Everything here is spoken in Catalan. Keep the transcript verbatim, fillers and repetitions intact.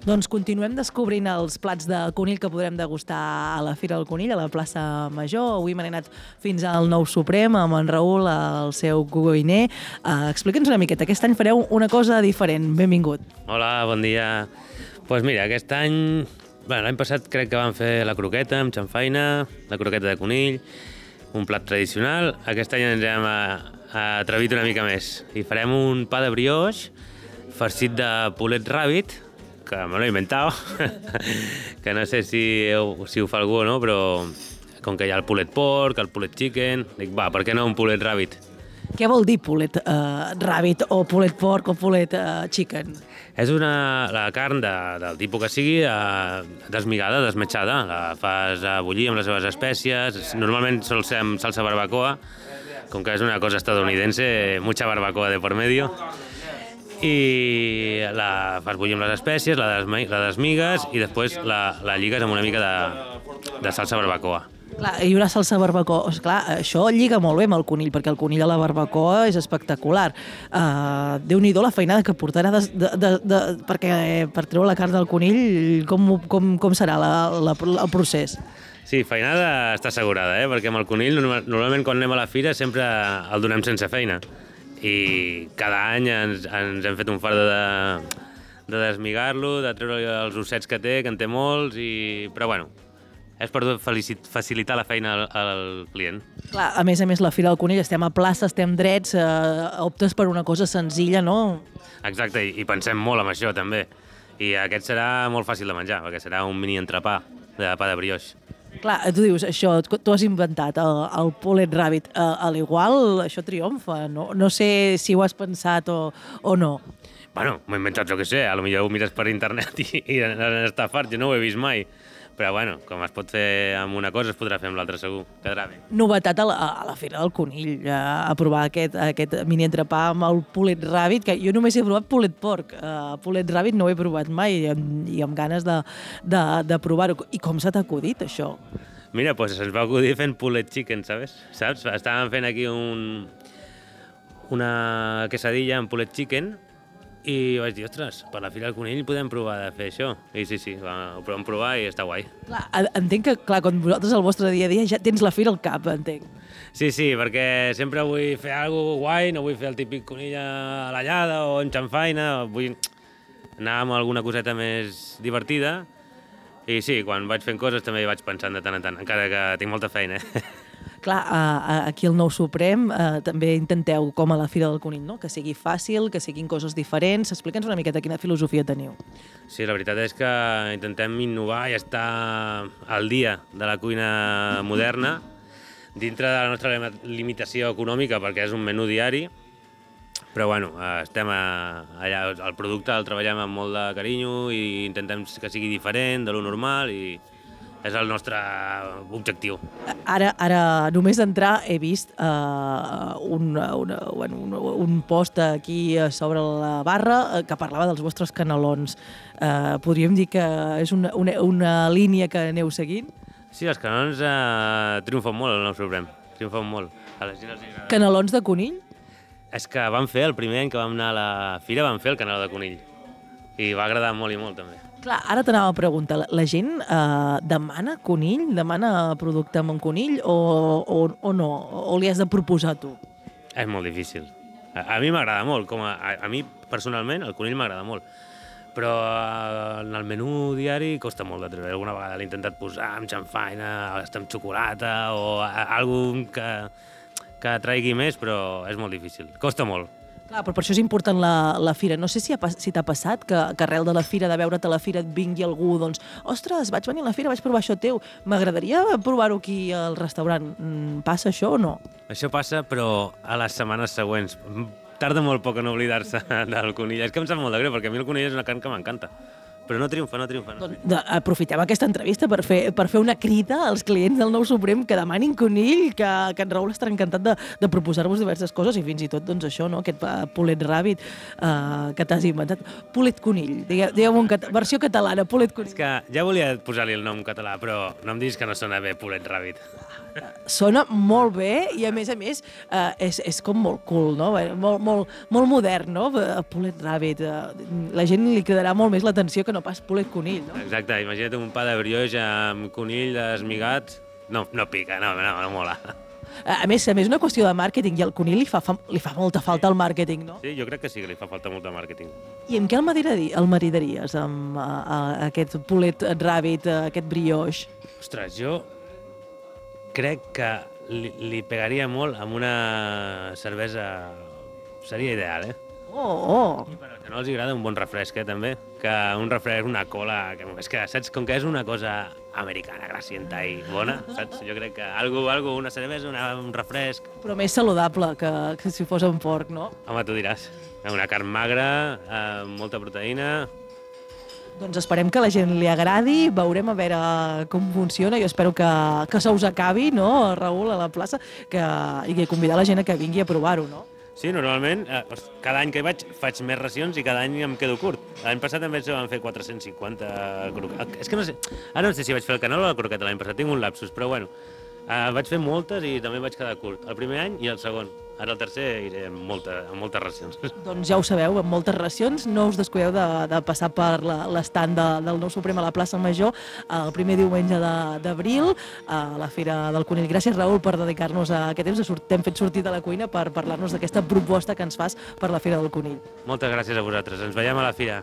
Doncs continuem descobrint els plats de conill que podrem degustar a la Fira del Conill, a la plaça Major. Avui m'he anat fins al Nou Suprem amb en Raül, el seu cuiner. Uh, Explica'ns una miqueta, aquest any fareu una cosa diferent. Benvingut. Hola, bon dia. Doncs pues mira, aquest any... Bueno, l'any passat crec que vam fer la croqueta amb xamfaina, la croqueta de conill, un plat tradicional. Aquest any ens hem atrevit una mica més i farem un pa de brioix farcit de pulet ràbit, que me l'he inventat, que no sé si, si ho fa algú o no, però com que hi ha el pulet porc, el pulet chicken, dic, va, per què no un pulet ràbit? Què vol dir pulet uh, ràbit o pulet porc o pulet uh, chicken? És una, la carn de, del tipus que sigui, uh, desmigada, desmetxada. La fas a bullir amb les seves espècies. Normalment sol ser amb salsa barbacoa, com que és una cosa estadounidense, mucha barbacoa de por medio. I la fas bullir amb les espècies, la, desmi, la desmigues i després la, la lligues amb una mica de, de salsa barbacoa. Clar, i una salsa barbacoa, clar, això lliga molt bé amb el conill, perquè el conill a la barbacoa és espectacular. Uh, Déu-n'hi-do la feinada que portarà de, de, de, de, perquè per treure la carn del conill, com, com, com serà la, la, el procés? Sí, feinada està assegurada, eh? Perquè amb el conill normalment quan anem a la fira sempre el donem sense feina. I cada any ens, ens hem fet un fart de, de desmigar-lo, de treure els ossets que té, que en té molts, i... però bueno, és per facilitar la feina al, al client. Clar, a més a més, la Fira del Conill, estem a plaça, estem drets, eh, optes per una cosa senzilla, no? Exacte, i, i pensem molt en això, també. I aquest serà molt fàcil de menjar, perquè serà un mini entrepà de pa de brioix. Clar, tu dius, això, tu has inventat el, el pulet ràbit, uh, a l'igual això triomfa, no? No sé si ho has pensat o, o no. Bueno, m'he inventat, jo què sé, a lo millor ho mires per internet i, i han estafat, jo no ho he vist mai. Però bueno, com es pot fer amb una cosa, es podrà fer amb l'altra segur, quedarà bé. Novetat a la, a la Fira del Conill, a, a provar aquest, aquest mini entrepà amb el pulet ràbit, que jo només he provat pulet porc, uh, pulet ràbit no ho he provat mai i amb, i amb ganes de, de, de provar-ho. I com s'ha acudit, això? Mira, doncs pues se'ns va acudir fent pulet chicken, ¿sabes? Saps? Estàvem fent aquí un, una quesadilla amb pulet chicken i vaig dir, ostres, per la Fira del Conill podem provar de fer això. I sí, sí, ho vam provar i està guai. Clar, entenc que, clar, quan vosaltres al vostre dia a dia ja tens la Fira al cap, entenc. Sí, sí, perquè sempre vull fer alguna cosa guai, no vull fer el típic conill a la llada o en xamfaina, vull anar amb alguna coseta més divertida. I sí, quan vaig fent coses també hi vaig pensant de tant en tant, encara que tinc molta feina. Clar, aquí al Nou Suprem eh, també intenteu, com a la Fira del Conill, no? Que sigui fàcil, que siguin coses diferents. Explica'ns una miqueta quina filosofia teniu. Sí, la veritat és que intentem innovar i estar al dia de la cuina moderna, dintre de la nostra limitació econòmica, perquè és un menú diari, però bueno, estem allà, el producte el treballem amb molt de carinyo i intentem que sigui diferent de lo normal i és el nostre objectiu. Ara, ara només d'entrar he vist uh, un, una, bueno, un, un post aquí sobre la barra que parlava dels vostres canelons. Uh, podríem dir que és una, una, una línia que aneu seguint? Sí, els canelons uh, triomfen molt al Nou Suprem, triomfen molt. A la gent els agrada. Canelons de conill? És que vam fer, el primer any que vam anar a la fira, vam fer el caneló de conill. I va agradar molt i molt, també. Clar, ara t'anava a preguntar, la gent eh, demana conill, demana producte amb un conill o, o, o no? O li has de proposar tu? És molt difícil. A, a mi m'agrada molt, com a, a, a mi personalment el conill m'agrada molt, però eh, en el menú diari costa molt de treure. Alguna vegada l'he intentat posar amb xamfaina, amb xocolata o alguna que, que traigui més, però és molt difícil, costa molt. Clar, però per això és important la, la fira. No sé si, ha, si t'ha passat que, que arrel de la fira, de veure't a la fira, et vingui algú, doncs, ostres, vaig venir a la fira, vaig provar això teu, m'agradaria provar-ho aquí al restaurant. Passa això o no? Això passa, però a les setmanes següents. Tarda molt poc en oblidar-se del conill. És que em sap molt de greu, perquè a mi el conill és una carn que m'encanta. Però no triomfa, no triomfa. No. Doncs aprofitem aquesta entrevista per fer, per fer una crida als clients del Nou Suprem que demanin conill, que, que en Raül estarà encantat de, de proposar-vos diverses coses i fins i tot doncs, això, no? Aquest pulet ràbit uh, que t'has inventat. Pulet conill, digueu, digueu en cat versió catalana, pulet conill. És que ja volia posar-li el nom català, però no em diguis que no sona bé pulet ràbit. Sona molt bé i a més a més uh, és, és com molt cool, no? Molt, molt, molt modern, no? Pulet ràbit. Uh, la gent li cridarà molt més l'atenció que no no pas pulet conill, no? Exacte, imagina't un pa de brioix amb conill esmigat. No, no pica, no, no, no mola. A més, a més, una qüestió de màrqueting, i al conill li fa, fa, li fa molta falta el màrqueting, no? Sí, jo crec que sí que li fa falta molt de màrqueting. I amb què el maridari- el maridaries, amb a, a, aquest pulet ràbit, aquest brioix? Ostres, jo crec que li, li pegaria molt amb una cervesa... Seria ideal, eh? Oh, oh! I per als que no els agrada un bon refresc, eh, també. Que un refresc, una cola... Que, és que, saps, com que és una cosa americana, grasienta i bona, saps? Jo crec que algo, algo una cervesa, una, un refresc... Però més saludable que, que si fos un porc, no? Home, tu diràs. Una carn magra, amb molta proteïna... Doncs esperem que a la gent li agradi, veurem a veure com funciona. Jo espero que, que se us acabi, no, Raül, a la plaça, que, i que convidar la gent a que vingui a provar-ho, no? Sí, normalment, eh, cada any que hi vaig faig més racions i cada any em quedo curt. L'any passat em vaig vam fer quatre-cents cinquanta croquetes. És que no sé, ara no sé si vaig fer el canal o la croqueta l'any passat, tinc un lapsus, però bueno, eh, vaig fer moltes i també vaig quedar curt. El primer any i el segon. Ara el tercer iré amb, molta, amb moltes racions. Doncs ja ho sabeu, amb moltes racions, no us descuideu de, de passar per l'estant de, del Nou Suprem a la plaça Major el primer diumenge d'abril, a la Fira del Conill. Gràcies, Raül, per dedicar-nos a aquest temps. T'hem fet sortir de la cuina per parlar-nos d'aquesta proposta que ens fas per la Fira del Conill. Moltes gràcies a vosaltres. Ens veiem a la Fira.